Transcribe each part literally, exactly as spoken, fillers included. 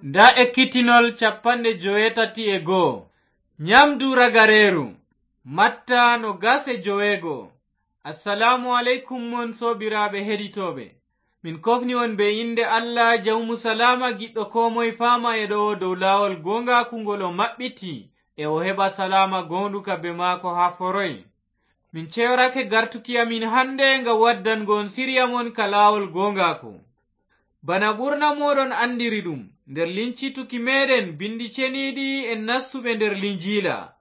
Ndaa ekkitinol capanɗe joweetati e goo. Nyaamdu ragareeru. Matta noogas e joweego. Assalaamu aleykum mon soobiraaɓe heɗitooɓe. Min kofni on bee innde Allah jawmu salaama giɗɗo koo moy faama e ɗo dow laawol gooŋgaaku ngol o maɓɓiti e o heɓa salaama gooŋɗuka bee maako haa foroy. Min ceyorake gartuki amin hannde ngam waddango on siriya mon ka laawol gooŋgaaku. Bana ɓurna mooɗon anndiri ɗum, nder lincituki meeɗen binndi ceniiɗi en nastuɓe nder Linjiila.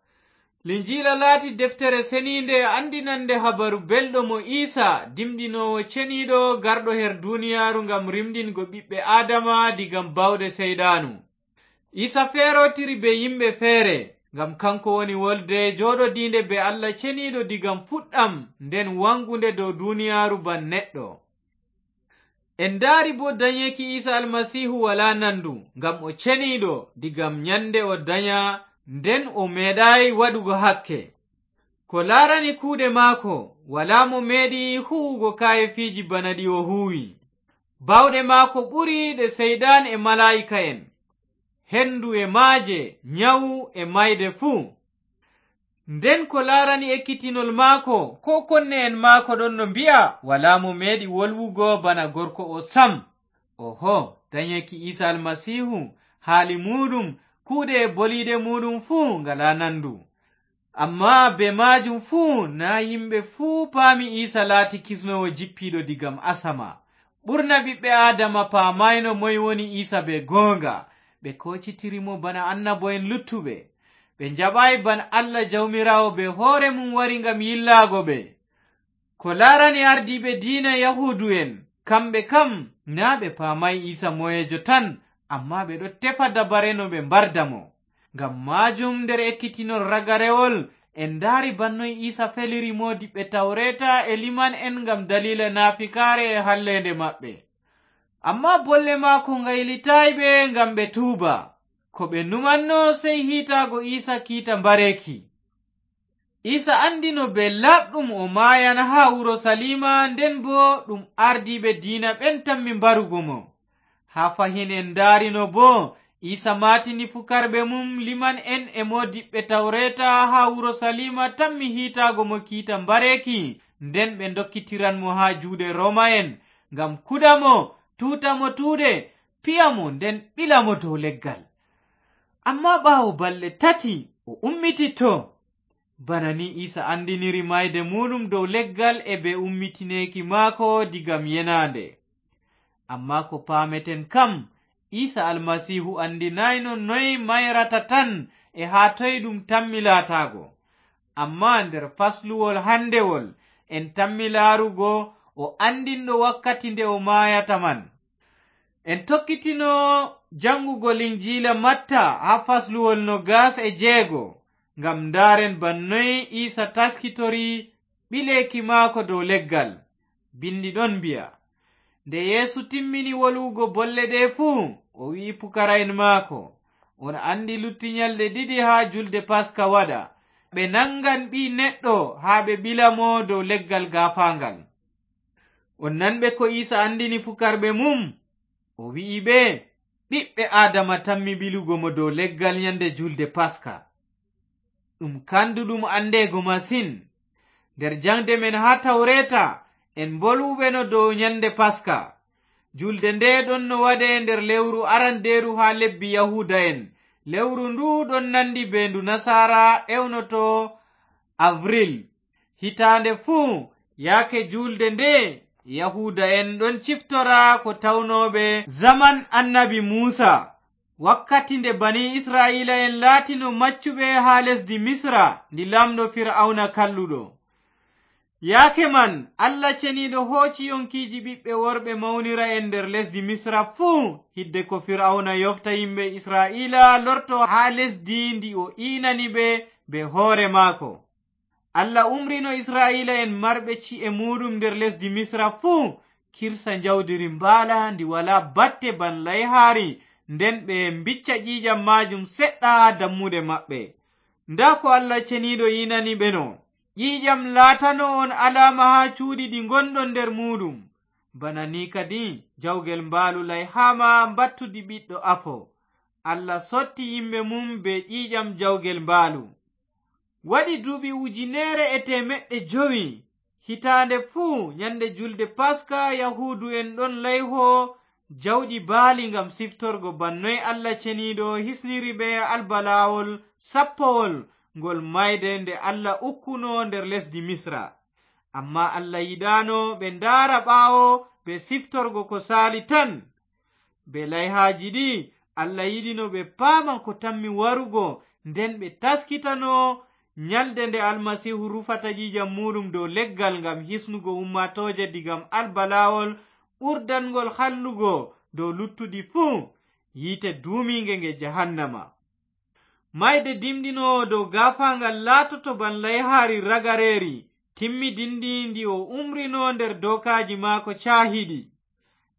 Linjiila laati deftere seniinde anndinannde habaru belɗo mo Iisa, dimɗinoowo ceniiɗo garɗo her duniyaaru ngam rimɗingo ɓiɓɓe Aadama diga baawɗe Seyɗaanu. Iisa feerootiri bee yimɓe feere, ngam kaŋko woni wolde jooɗodiinde bee Allah ceniiɗo diga fuɗɗam, nden waŋgunde dow duniyaaru ban neɗɗo. En ndaari boo danyeeki Iisa Almasiihu walaa nandu, ngam o ceniiɗo diga nyande o danya, nden o meeɗaay waɗugo hakke. Ko laarani kuuɗe maako, walaa mo meeɗi huuwugo kaayeefiiji bana ɗi o huuwi. Baawɗe maako ɓuri ɗe Seyɗan e malaa'ika'en. Hendu e maaje, nyawu e maayde fuu. Nden ko laarani ekkitinol maako, koo konne'en maako ɗon no mbi'a, walaa mo meeɗi wolwugo bana gorko o sam. Oho, danyeeki Iisa Almasiihu, haali muuɗum, kuuɗe e boliiɗe muuɗum fuu ngalaa nandu. Ammaa bee maajum fuu, naa yimɓe fuu paami Iisa laati kisnoowo jippiiɗo diga asama. Ɓurna ɓiɓɓe Aadama paamaayno moy woni Iisa bee gooŋga. Ɓe koocitiri mo bana annabo'en luttuɓe. Ɓe njaɓaay ban Allah Jawmiraawo bee hoore mum wari ngam yillaago ɓe. Ko laarani ardiiɓe diina Yahuudu'en, kamɓe kam, naa ɓe paamaay Iisa moyeejo tan, ammaa ɓe ɗon tefa dabare no ɓe mbarda mo. Ngam maajum, nder ekkitinol ragarewol, en ndaari ban noy Iisa feliri moodiɓɓe tawreeta e liman'en ngam daliila naafikaare e halleende maɓɓe. Ammaa bolle maako ngaylitaay ɓe ngam ɓe tuuba. Ko ɓe numanno sey hiitaago Iisa kiita mbareeki. Iisa anndino bee laaɓɗum o maayan haa Urusaliima, nden boo ɗum ardiiɓe diina ɓen tammi mbarugo mo. Haa fahin en ndaarino boo, Iisa maatini fukarɓe mum, liman'en e moodiɓɓe tawreeta haa Urusaliima tammi hiitaago mo kiita mbareeki, nden ɓe ndokkitiran mo haa juuɗe Rooma'en, ngam kuda mo, tuuta mo tuuɗe, piya mo, nden ɓila mo dow leggal. Ammaa ɓaawo balɗe tati, o ummititto. Bana ni Iisa anndiniri maayde muuɗum dow leggal e bee ummitineeki maako diga yenaande. Ammaa ko paameten kam, Iisa Almasiihu anndinaayno noy mayrata tan e haa toy ɗum tammi laataago. Ammaa nder fasluwol handewol, en tammi laarugo o anndinɗo wakkati nde o maayata man. En tokkitino jaŋgugo Linjiila Matta haa fasluwol noogas e jeego, ngam ndaaren ban noy Iisa taskitori ɓileeki maako dow leggal. Binndi ɗon mbi'a, nde Yeesu timmini wolwugo bolle ɗe fuu, o wi'i pukara'en maako, on anndi lutti nyalɗe ɗiɗi haa julde Paska waɗa, ɓe naŋgan Ɓii Neɗɗo haa ɓe ɓila mo dow leggal gaafaaŋgal. On nanɓe ko Iisa anndini fukarɓe mum? O wi'i ɓe, ɓiɓɓe Aadama tammi ɓilugo mo dow leggal nyande julde Paska. Ɗum kanduɗum andeego masin. Nder jaŋde men haa Tawreeta, en mbolwuɓeno dow nyande Paska. Julde nde ɗon no waɗe nder lewru arandeeru haa lebbi Yahuuda'en. Lewru ndu ɗon nandi bee ndu Nasaara ewnoto Avril. Hitaande fuu, yaake juulde nde, Yahuuda'en ɗon ciftora ko tawnooɓe zaman annabi Muusa, wakkati nde banii Isra'iila'en laatino maccuɓe haa lesdi Misra, ndi laamɗo Fir'awna kalluɗo. Yaake man, Allah Ceniiɗo hooci yonkiiji ɓiɓɓe worɓe mawnira'en nder lesdi Misra fuu, hidde ko Fir'awna yofta yimɓe Isra'iila lorto haa lesdi ndi o iinani ɓe bee hoore maako. Allah umrino Isra'iila'en marɓe ci'e muuɗum nder lesdi Misra fuu, kirsa njawdiri mbaala ndi walaa batte ban layhaari, nden ɓe mbicca ƴiiƴam maajum seɗɗa haa dammuɗe maɓɓe. Ndaa ko Allah Ceniiɗo iinani ɓe no, ƴiiƴam laatano on alaama haa cuuɗi ɗi ngonɗon nder muuɗum. Bana ni kadi, jawgel mbaalu layhaama mbattudi ɓiɗɗo afo. Allah sotti yimɓe mum bee ƴiiƴam jawgel mbaalu. Waɗi duuɓi ujineere e teemeɗɗe jowi, hitaande fuu, nyannde juulde Paska, Yahuudu'en ɗon layho jawɗi baali ngam siftorgo bana noy Allah Ceniiɗo hisniri ɓe albalaawol sappowol ngol maayde nde Allah ukkuno nder lesdi Misra. Ammaa Allah yiɗaano ɓe ndaara ɓaawo bee siftorgo ko saali tan. Bee layhaaji ɗi, Allah yiɗino ɓe paama ko tammi warugo, nden ɓe taskitano nyalde nde Almasiihu rufata ƴiiƴam muuɗum dow leggal ngam hisnugo ummaatooje diga albalaawol ɓurdanŋgol hallugo dow luttuɗi fuu, yiite duumiiŋge nge jahannama. Maayde dimɗinoowo dow gaafaaŋgal laatoto bana layhaari ragareeri timmidinndi ndi o umrino nder dookaaji maako caahiiɗi.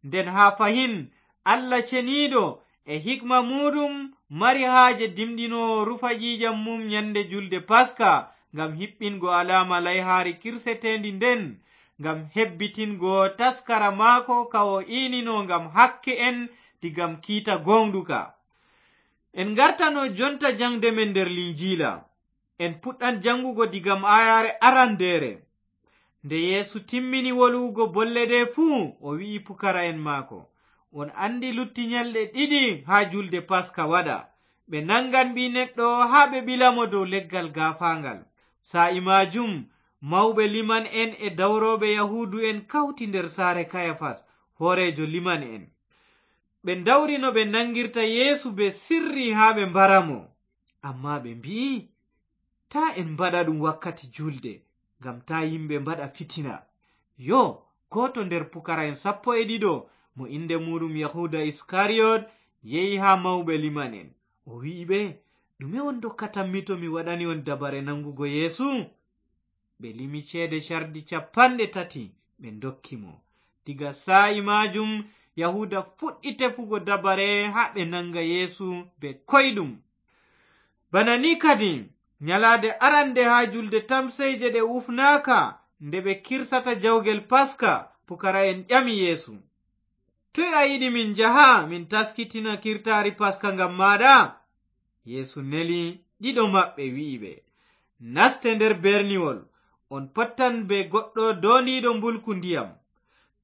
Nden haa fahin, Allah Ceniiɗo e hikma muuɗum mari haaje dimɗinoowo rufa ƴiiƴam mum nyannde juulde Paska ngam hiɓɓingo alaama layhaari kirseteendi nden, ngam hebbitingo taskara maako ka o iinino ngam hakke'en diga kiita gooŋɗuka. En ngartano jonta jaŋde men nder Linjiila. En puɗɗan jaŋgugo diga aayaare arandeere. Nde Yeesu timmini wolwugo bolle ɗe fuu, o wi'i pukara'en maako, "On anndi lutti nyalɗe ɗiɗi haa juulde Paska waɗa. Ɓe naŋgan Ɓii Neɗɗo haa ɓe ɓila mo dow leggal gaafaaŋgal." Saa'i maajum, mawɓe liman'en e dawrooɓe Yahuudu'en kawti nder saare Kayafas, hooreejo liman'en. Ɓe ndawri no ɓe naŋgirta Yeesu bee sirri haa ɓe mbara mo. Ammaa ɓe mbi'i, "Taa en mbaɗa ɗum wakkati juulde, ngam taa yimɓe mbaɗa fitina." Yoo, gooto nder pukara'en sappo e ɗiɗo, mo innde muuɗum Yahuuda Iskariyot, yehi haa mawɓe liman'en. O wi'i ɓe, "Ɗume on ndokkatammi to mi waɗani on dabare naŋgugo Yeesu?" Ɓe limi ceede cardi cappanɗe tati, ɓe ndokki mo. Diga saa'i maajum, Yahuuda fuɗɗi tefugo dabare haa ɓe naŋga Yeesu bee koyɗum. Bana ni kadi, nyalaade arande haa juulde tamseeje ɗe ufnaaka, nde ɓe kirsata jawgel Paska, pukara'en ƴami Yeesu, "Toy a yiɗi min njaha, min taskitina kiirtaari Paska ngam maaɗa?" Yeesu neli ɗiɗo maɓɓe, wi'i ɓe, "Naste nder berniwol, on pottan bee goɗɗo doondiiɗo mbulku ndiyam.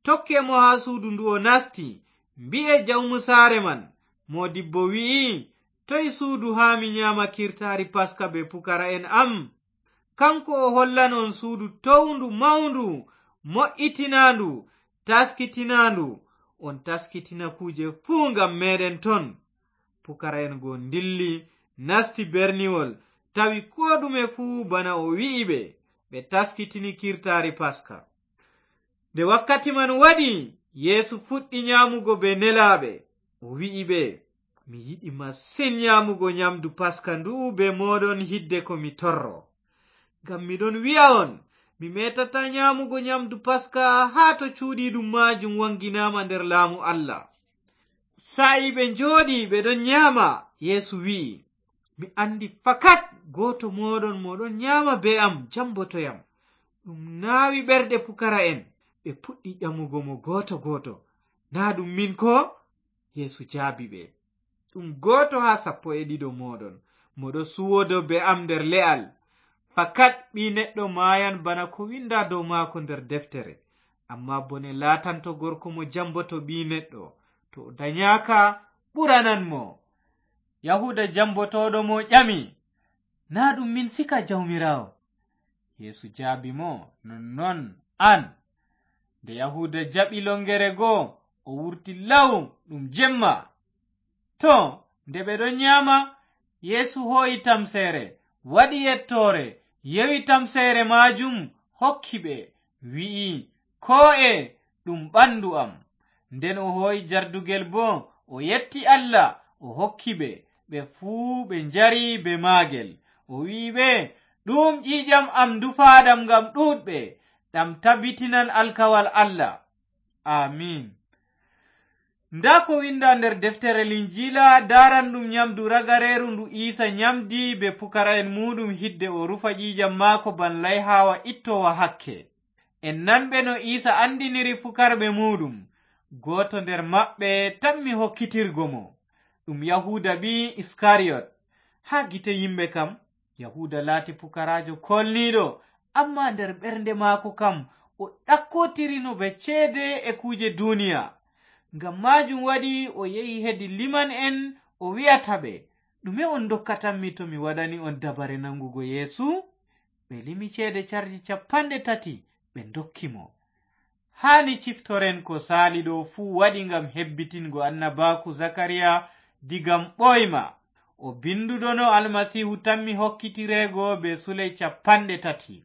Tokke mo haa suudu ndu o nasti, mbi'e jawmu saare man, 'Moodibbo wi'i, toy suudu haa mi nyaama kiirtaari Paska bee pukara'en am?' Kaŋko o hollan on suudu towndu mawndu, mo'itinaandu, taskitinaandu. On taskitina kuuje fuu ngam meeɗen ton." Pukara'en go ndilli, nasti berniwol, tawi koo ɗume fuu bana o wi'i ɓe. Ɓe taskitini kiirtaari Paska. Nde wakkati man waɗi, Yeesu fuɗɗi nyaamugo bee nelaaɓe. O wi'i ɓe, "Mi yiɗi masin nyaamugo nyamdu Paska ndu'u bee mooɗon hidde ko mi torro. Ngam mi ɗon wi'a on, mi meetataa nyaamugo nyamdu Paska haa to cuuɗiiɗum maajum waŋginaama nder laamu Allah." Saa'i ɓe njooɗi ɓe ɗon nyaama, Yeesu wi'i, "Mi anndi fakat gooto mooɗon mo ɗon nyaama bee am jamboto yam." Ɗum naawi ɓerɗe pukara'en, ɓe puɗɗi ƴamugo mo gooto gooto, "Naa ɗum min koo?" Yeesu jaabi ɓe, "Ɗum gooto haa sappo e ɗiɗo mooɗon, mo ɗo suwodo bee am nder le'al. Fakat Ɓii Neɗɗo maayan bana ko winda dow maako nder deftere. Ammaa bone laatanto gorko mo jamboto Ɓii Neɗɗo, to o danyaaka, ɓuranan mo." Yahuuda jambotooɗo mo ƴami, "Naa ɗum min sika, Jawmiraawo?" Yeesu jaabi mo, "Nonnon an." Nde Yahuuda jaɓi longere go, o wurti law ɗum jemma. To, nde ɓe ɗon nyaama, Yeesu hoo'i tamseere, waɗi yettoore, yewi tamseere maajum, hokki ɓe, wi'i, "Koo'e, ɗum ɓandu am." Nden o hoo'i jardugel boo, o yetti Allah, o hokki ɓe, ɓe fuu ɓe njari bee maagel. O wi'i ɓe, "Ɗum ƴiiƴam am ndufaaɗam ngam ɗuuɗɓe, ɗam tabbitinan alkawal Allah." Amiin. Ndaa ko winda nder deftere Linjiila daaranɗum nyamdu ragareeru ndu Iisa nyamdi bee pukara'en muuɗum hidde o rufa ƴiiƴam maako ban layhaawa ittoowa hakke. En nanɓe no Iisa anndiniri fukarɓe muuɗum. Gooto nder maɓɓe tammi hokkitirgo mo. ɗum Yahuuda ɓii Iskariyot. Haa gite yimɓe kam, Yahuuda laati pukaraajo koolniiɗo, ammaa nder ɓernde maako kam, o ɗakkotirino ɓe ceede e kuuje duuniya. Ngam maajum waɗi o yehi hedi liman'en, o wi'ata ɓe, "Ɗume on ndokkatammi to mi waɗani on dabare nangugo Yeesu?" Ɓe limi ceede cardi cappanɗe tati, ɓe ndokki mo. Haani ciftoren ko saali ɗo fuu waɗi ngam hebbitingo annabaaku Zakariya diga ɓooyma. O binduɗo no Almasiihu tammi hokkitireego bee suley cappanɗe tati.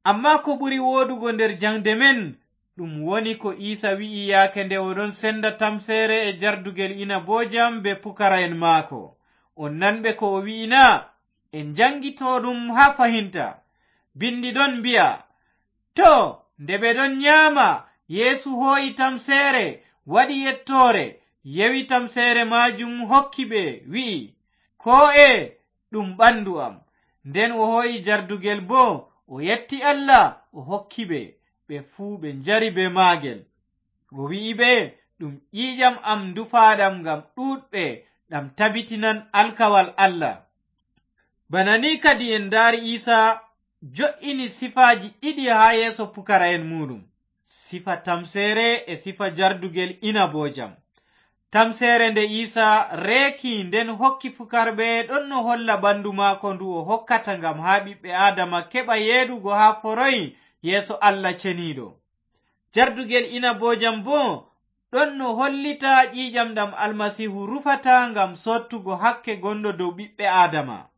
Ammaa ko ɓuri wooɗugo nder jaŋde men, ɗum woni ko Iisa wi'i yaake nde o ɗon senda tamseere e jardugel inaboojam bee pukara'en maako. On nanɓe ko o wi'i na? En njanngito ɗum haa fahinta. Binndi ɗon mbi'a, "To, nde ɓe ɗon nyaama, Yeesu hoo'i tamseere, waɗi yettoore, yewi tamseere maajum hokki ɓe, wi'i, 'Koo'e, ɗum ɓandu am.' Nden o hoo'i jardugel boo, o yetti Allah, o hokki ɓe, ɓe fuu ɓe njari bee maagel. O wi'i ɓe, 'Ɗum ƴiiƴam am ndufaaɗam ngam ɗuuɗɓe, ɗam tabitinan alkawal Allah.'" Bana ni kadi en ndaari Iisa jo'ini sifaaji ɗiɗi haa yeeso pukara'en muuɗum, sifa tamseere e sifa jardugel inaboojam. Tamseere nde Iisa reeki nden hokki pukarɓe ɗon no holla ɓandu maako ndu o hokkata ngam haa ɓiɓɓe Aadama keɓa yeeɗugo haa foroy yeeso Allah Ceniiɗo. Jardugel inaboojam boo ɗon no hollita ƴiiƴam ɗam Almasiihu rufata ngam soottugo hakke gonɗo dow ɓiɓɓe Aadama.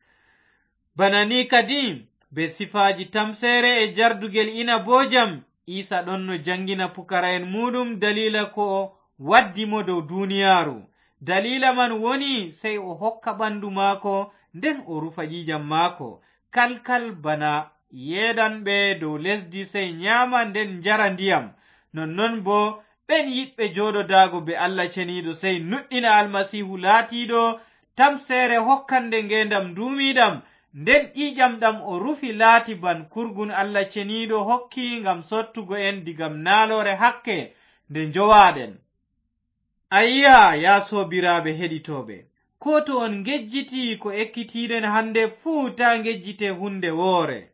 Bana ni kadi, bee sifaaji tamseere e jardugel inaboojam, Iisa ɗon no jaŋngina pukara'en muuɗum daliila ko waddi mo dow duniyaaru. Daliila man woni sey o hokka ɓandu maako, nden o rufa ƴiiƴam maako, kalkal bana yeeɗanɓe dow lesdi sey nyaama nden njara ndiyam. Nonnon boo, ɓen yiɗɓe jooɗodaago bee Allah Ceniiɗo sey nuɗɗina Almasiihu laatiiɗo tamseere hokkande ngeendam nduumiiɗam, nden ƴiiƴam ɗam o rufi laati ban kurgun Allah Ceniiɗo hokki ngam sottugo en digam naaloore hakke nde njowaaɗen. Ayya, yaa soobiraaɓe heɗitooɓe, koo to on ngejjiti ko ekkitiiɗen hande fuu, taa ngejjite hunde woore.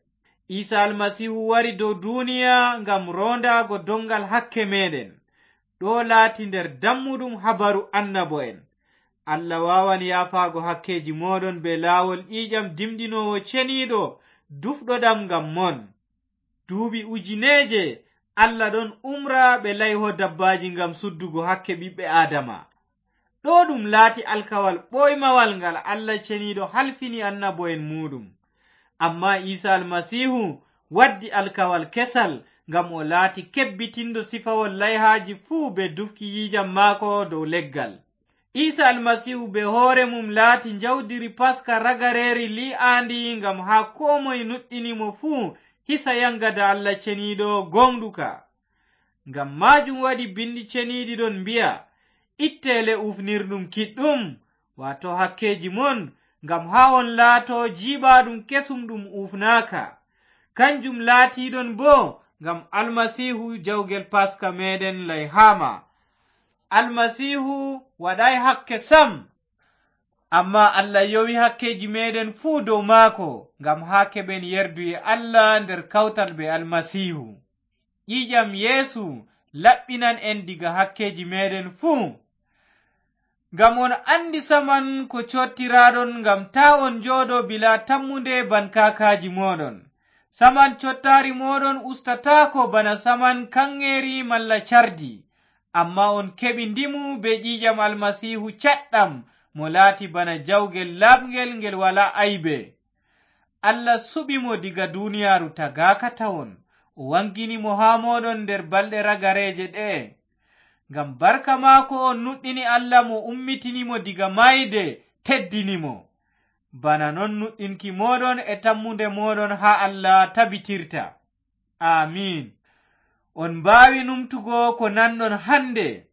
Iisa Almasiihu wari dow duuniya ngam roondaago doŋngal hakke meeɗen. Ɗo laati nder dammuɗum habaru annabo'en. Allah waawan yaafaago hakkeeji mooɗon bee laawol ƴiiƴam dimɗinoowo ceniiɗo, dufɗoɗam ngam mon. Duuɓi ujineeje, Allah ɗon umra ɓe layho dabbaaji ngam suddugo hakke ɓiɓɓe Aadama. Ɗo ɗum laati alkawal ɓooymawal ngal Allah Ceniiɗo halfini annabo'en muuɗum. Ammaa Iisa Almasiihu waddi alkawal kesal, ngam o laati kebbitindo sifawol layhaaji fuu bee dufki ƴiiƴam maako dow leggal. Iisa Almasiihu bee hoore mum laati njawdiri Paska ragareeri lii'aandi ngam haa koo moy nuɗɗini mo fuu hisa yaŋgada Allah Ceniiɗo gooŋɗuka. Ngam maajum waɗi Binndi Ceniiɗi ɗon mbi'a, "Itte le uufnirɗum kiɗɗum," waato hakkeeji mon, ngam haa on laato jiiɓaaɗum kesum ɗum uufnaaka. Kanjum laatiiɗon boo ngam Almasiihu jawgel Paska meeɗen layhaama. Almasiihu waɗaay hakke sam, ammaa Allah yowi hakkeeji meeɗen fuu dow maako, ngam haa keɓen yerduye Allah nder kawtal bee Almasiihu. Ƴiiƴam Yeesu laɓɓinan en diga hakkeeji meeɗen fuu. Ngam on anndi saman ko cottiraaɗon, ngam taa on njooɗo bilaa tammunde ban kaakaaji mooɗon. Saman cottaari mooɗon ustataako bana saman kaŋŋeeri malla cardi, ammaa on keɓi ndimu bee ƴiiƴam Almasiihu caɗɗam, mo laati bana jawgel laaɓŋgel ngel walaa aybe. Allah suɓi mo diga duniyaaru tagaaka tawon, o waŋgini mo haa mooɗon nder balɗe ragareeje ɗe'e. Ngam barka maako on nuɗɗini Allah mo ummitini mo diga maayde, teddini mo. Bana non nuɗɗinki mooɗon e tammunde mooɗon haa Allah tabitirta. Amiin. On mbaawi numtugo ko nanɗon hande.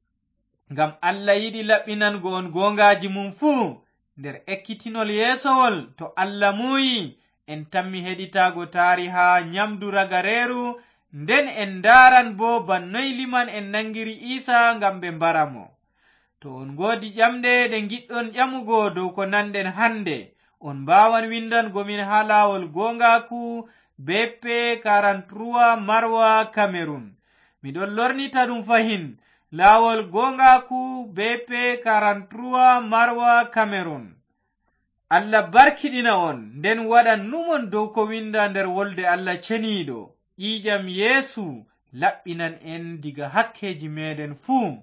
Ngam Allah yiɗi laɓɓinango on gooŋgaaji mum fuu. Nder ekkitinol yeesowol, to Allah muuyi, en tammi heɗitaago taariha nyamdu ragareeru, nden en ndaaran boo ban noy liman'en naŋgiri Iisa ngam ɓe mbara mo. To on ngoodi ƴamɗe ɗe ngiɗɗon ƴamugo dow ko nanɗen hannde, on mbaawan winndango min haa laawol gooŋgaaku B P quarante-trois Marwa, Cameroun. Miɗon lornita ɗum fahin, laawol gooŋgaaku B P quarante-trois Marwa, Cameroun. Allah barkiɗina on, nden waɗan numon dow ko winnda nder wolde Allah ceniiɗo. Ƴiiƴam Yeesu laɓɓinan en diga hakkeeji meeɗen fuu.